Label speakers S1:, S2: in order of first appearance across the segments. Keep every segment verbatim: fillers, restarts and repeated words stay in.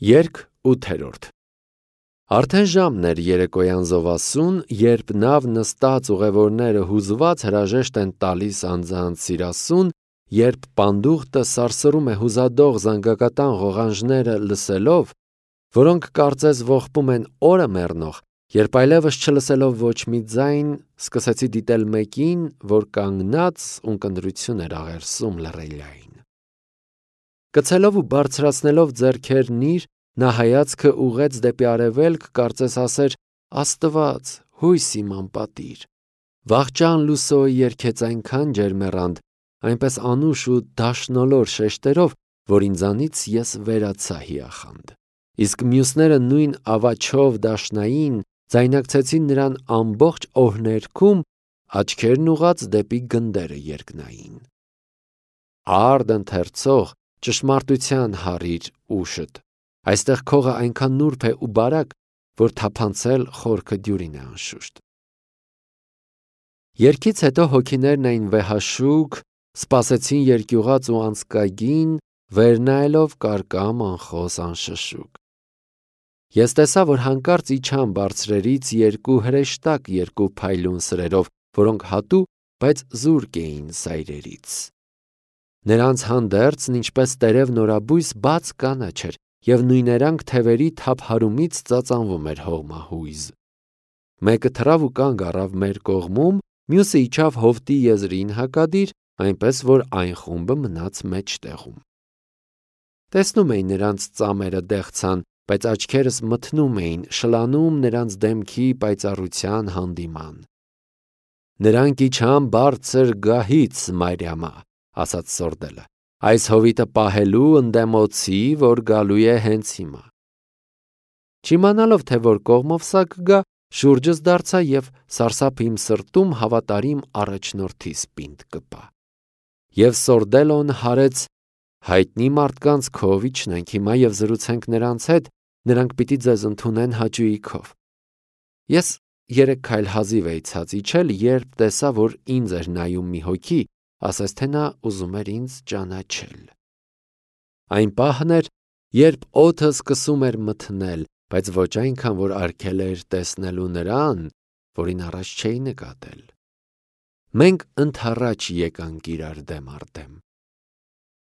S1: Երկ ութերորդ Արդեն ժամն էր երեկոյան զովասուն, երբ նավ նստած ուղևորները հուզված հրաժեշտ են տալիս անձանց սիրասուն, երբ պանդուխտը սարսռում է հուզադող զանգակատան ղողանջները լսելով, որոնք կարծես ողբում են օրը մեռնող, երբ այլևս չլսելով ոչ մի ձայն, սկսեցի դիտել մեկին, որ կանգնած ունկնդրություն էր աղերսում լռելիային։ Կցելով ու բարձրացնելով ձեռքերն իր, նա հայացքը ուղղեց դեպի արևելք, կարծես ասեր. «Աստված, հույս իմ անպատիր»։ Վախճան լուսոյը երգեց այնքան ջերմեռանդ, այնպես անուշ ու դաշնոլոր շեշտերով, որ ինձանից ես վերացա հիախանդ։ Իսկ մյուսները նույն ավաչով դաշնային ձայնակցեցին նրան ամբողջ օրհներգում, աչքերն ուղղած դեպի գնդերը երկնային։ Արդ ընթերցող, ճշմարտության հարիր ուշդ, այստեղ քողը այնքան նուրբ է ու բարակ, որ թափանցել խորքը դյուրին է անշուշտ։ Երգից հետո հոգիներն էին վեհաշուկ, սպասեցին երկյուղած ու անցկագին, վեր նայելով կարկամ անխոս անշշուկ։ Ես տեսա, որ հանկարծ իջան բարձրերից երկու հրեշտակ երկու փայլուն սրերով, որոնք հատու, բայց զուրկ էին սայրերից։ Նրանց հանդերձն ինչպես տերև նորաբույս բաց կանաչ էր, և նույներանգ թևերի թափ հարումից ծածանվում էր հողմահույզ։ Մեկը թռավ ու կանգ առավ մեր կողմում, մյուսը իջավ հովտի եզրին հակադիր, այնպես որ այն խումբը մնաց մեջտեղում։ Տեսնում էի նրանց ծամերը դեղցան, բայց աչքերս մթնում էին, շլանում նրանց դեմքի պայծառության հանդիման։ Նրանք իջան բարձր գահից, Մարիամա, ասաց սորդելը, այս հովիտը պահելու ընդդեմոցի, որ գալու է հենց հիմա։ Չիմանալով, թե որ կողմով սա կգա, շուրջս դարձա և սարսափ իմ սրտում հավատարիմ առաջնորդիս պինդ կպա։ Եվ սորդելոն հարեց հայտնի մարդկանց քով իջնենք հիմա և զրուցենք նրանց հետ, նրանք պիտի ձեզ ընդունեն հաճույքով։ Ես երեք քայլ հազիվ էի ցած իջել, երբ տեսա, որ ինձ էր նայում մի հոգի, ասես թե նա ուզում էր ինձ ճանաչել։ Այն պահն էր, երբ օդը սկսում էր մթնել, բայց ոչ այնքան, որ արգել էր տեսնելու նրան, որին առաջ չէի նկատել։ Մենք ընդառաջ եկանք իրար դեմ առ դեմ։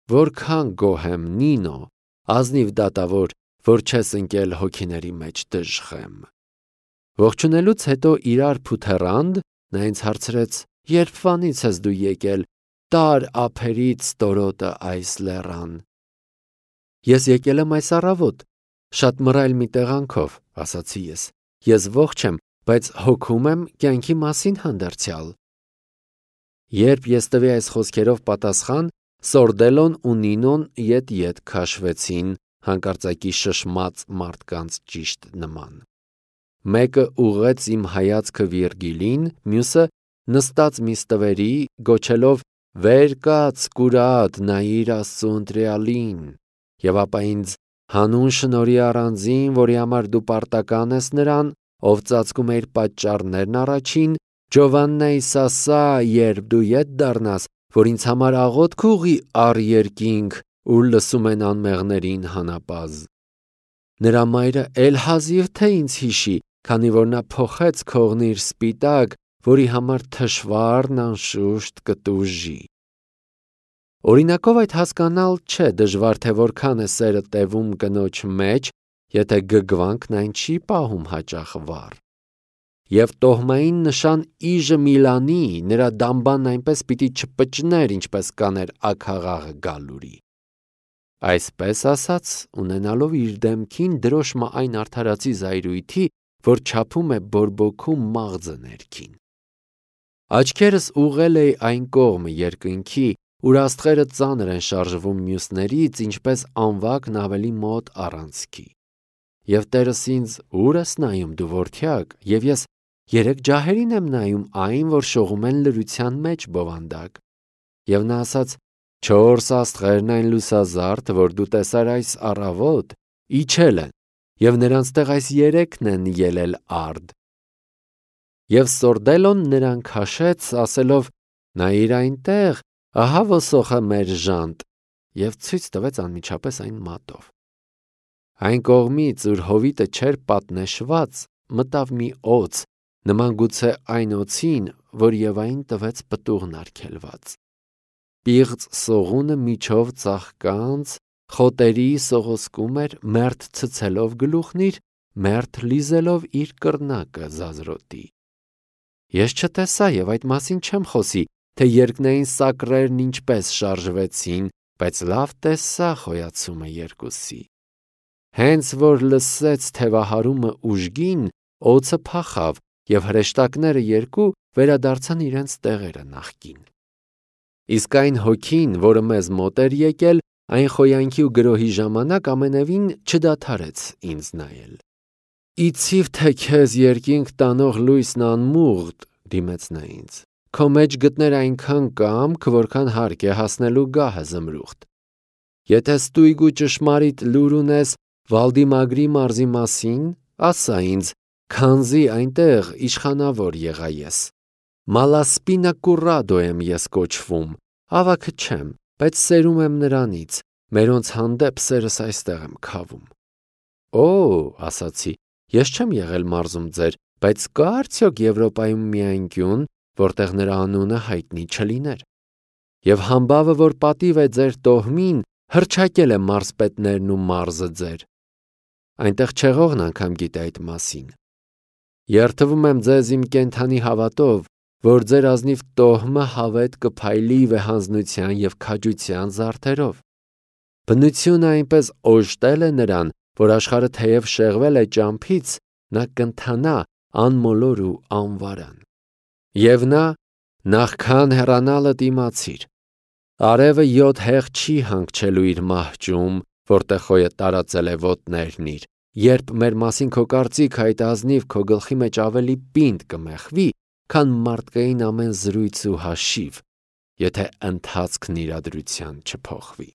S1: Որքան գոհ եմ, Նինո, ազնիվ դատավոր, որ չես ընկել հոգիների մեջ դժխեմ։ Ողջունելուց հետո իրար փութեռանդ, նա ինձ հարցրեց. «Երբվանից ես դու եկել, տար ափերից ստորոտը այս լեռան»։ Ես եկել եմ այս առավոտ, շատ մռայլ մի տեղանքով, ասացի ես։ Ես ողջ եմ, բայց հոգում եմ կյանքի մասին հանդերձյալ։ Երբ ես տվի այս խոսքերով պատասխան, Սորդելոն ու Նինոն ետ-ետ քաշվեցին, հանկարծակի շշմած մարդկանց ճիշտ նման։ Մեկը ուղղեց իմ հայացքը Վիրգիլին, մյուսը նստած մի ստվերի, գոչելով. «Վեր կաց, կուրատ, նայիր Աստծու ընտրյալին», և ապա ինձ հանուն շնորհի առանձին, որի համար դու պարտական ես նրան, ով ծածկում է իր պատճառներն առաջին, Ջովաննայիս ասա, երբ դու ետ դառնաս, որ ինձ համար աղոթք ուղղի առ երկինք, ուր լսում են անմեղներին հանապազը։ Նրա մայրը էլ հազիվ թե ինձ հիշի, քանի որ նա փոխեց քողն իր սպիտակ, որի համար թշվառն անշուշտ կտուժի։ Օրինակով այդ հասկանալ չէ դժվար, թե որքան է սերը տևում կնոջ մեջ, եթե գգվանքն այն չի պահում հաճախ վառ։ Եվ տոհմային նշան իժը Միլանի, նրա դամբանն այնպես պիտի չպճներ, ինչպես կաներ աքաղաղը գալուրի։ Այսպես ասած, ունենալով իր դեմքին դրոշմը այն արդարացի զայրույթի, որ չափում է բորբոքում մաղձը ներքին։ Աչքերս ուղղել էի այն կողմը երկնքի, ուր աստղերը ծանր են շարժվում մյուսներից, ինչպես անվակն ավելի մոտ առանցքի։ Եվ Տերս ինձ. «Ո՞ւր ես նայում դու որդյակ», և ես երեք ջահերին եմ նայում այն, որ շողում են լրության մեջ բովանդակ։ Եվ նա ասաց. «Չորս աստղերն այն լուսազարդ, որ դու տեսար այս առավոտ, իջել են, և նրանց տեղ այս երեքն են ելել արդ»։ Եվ Սորդելոն նրան քաշեց, ասելով. «Նայիր այնտեղ, ահա ոսոխը մեր ժանտ», և ցույց տվեց անմիջապես այն մատով։ Այն կողմից, ուր հովիտը չէր պատնեշված, մտավ մի օձ, նման գուցե այն օձին, որ Եվային տվեց պտուղն արգելված։ Պիղծ սողունը միջով ծաղկանց, խոտերի սողոսկում էր, մերթ ցցելով գլուխն իր, մերթ լիզելով իր կռնակը զազրոտի։ Ես չտեսա և այդ մասին չեմ խոսի, թե երկնային սակրերն ինչպես շարժվեցին, բայց լավ տեսա խոյացումը երկուսի։ Հենց որ լսեց թևահարումը ուժգին, օձը փախավ, և հրեշտակները երկու վերադարձան իրենց տեղերը նախկին։ Իսկ այն հոգին, որը մեզ մոտ էր եկել, այն խոյանքի ու գրոհի ժամանակ ամենևին չդադարեց ինձ նայել։ Իցիվ թե քեզ երկինք տանող լույսն անմուղտ, դիմեց նա ինձ, քո մեջ գտներ այնքան կամք, որքան հարկ է հասնելու գահը զմրուխտ։ Եթե ստույգ ու ճշմարիտ լուր ունես Վալդիմագրի մարզի մասին, ասա ինձ, քանզի այնտեղ իշխանավոր եղա ես։ Մալասպինա կուրրադո եմ ես կոչվում, ավագը չեմ, բայց սերում եմ նրանից, մերոնց հանդեպ սերս այստեղ եմ քավում։ Օ, ասացի, ես չեմ եղել մարզում ձեր, բայց կա արդյոք Եվրոպայում մի անկյուն, որտեղ նրա անունը հայտնի չլիներ։ Եվ համբավը, որ պատիվ է ձեր տոհմին, հռչակել է մարզպետներն ու մարզը ձեր։ Այնտեղ չեղողն անգամ գիտե այդ մասին։ Երդվում եմ ձեզ իմ կենդանի հավատով, որ ձեր ազնիվ տոհմը հավետ կփայլի վեհանձնության և քաջության զարդերով։ Բնությունը այնպես օժտել է նրան, որ աշխարհը թեև շեղվել է ճամփից, նա կընթանա անմոլոր ու անվարան։ Եվ նա, նախքան հեռանալդ իմացիր, արևը յոթ հեղ չի հանգչելու իր մահճում, որտեղ խոյը տարածել է ոտներն իր, երբ մեր մասին քո կարծիքը այդ ազնիվ քո գլխի մեջ ավելի պինդ կմեխվի, քան մարդկային ամեն զրույց ու հաշիվ, եթե ընթացքն իրադրության չփոխվի։